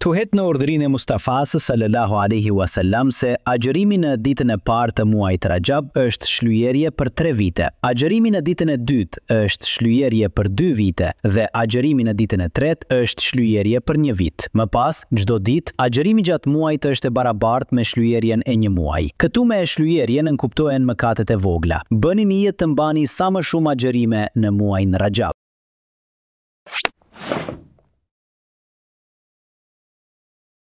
Thuhet në urdhrin e Mustafasë sallallahu alejhi ua selam se agjërimi në ditën e parë të muajit Raxhab është shlyerje për tre vite, agjërimi në ditën e dytë është shlyerje për dy vite dhe agjërimi në ditën e tretë është shlyerje për një vit. Më pas, çdo ditë, agjërimi gjatë muajit është e barabartë me shlyerjen e një muaji. Këtu me shlyerje nënkuptohen mëkatet e vogla. Bëni nijet të mbani sa më shumë agjërime në muajin Raxhab.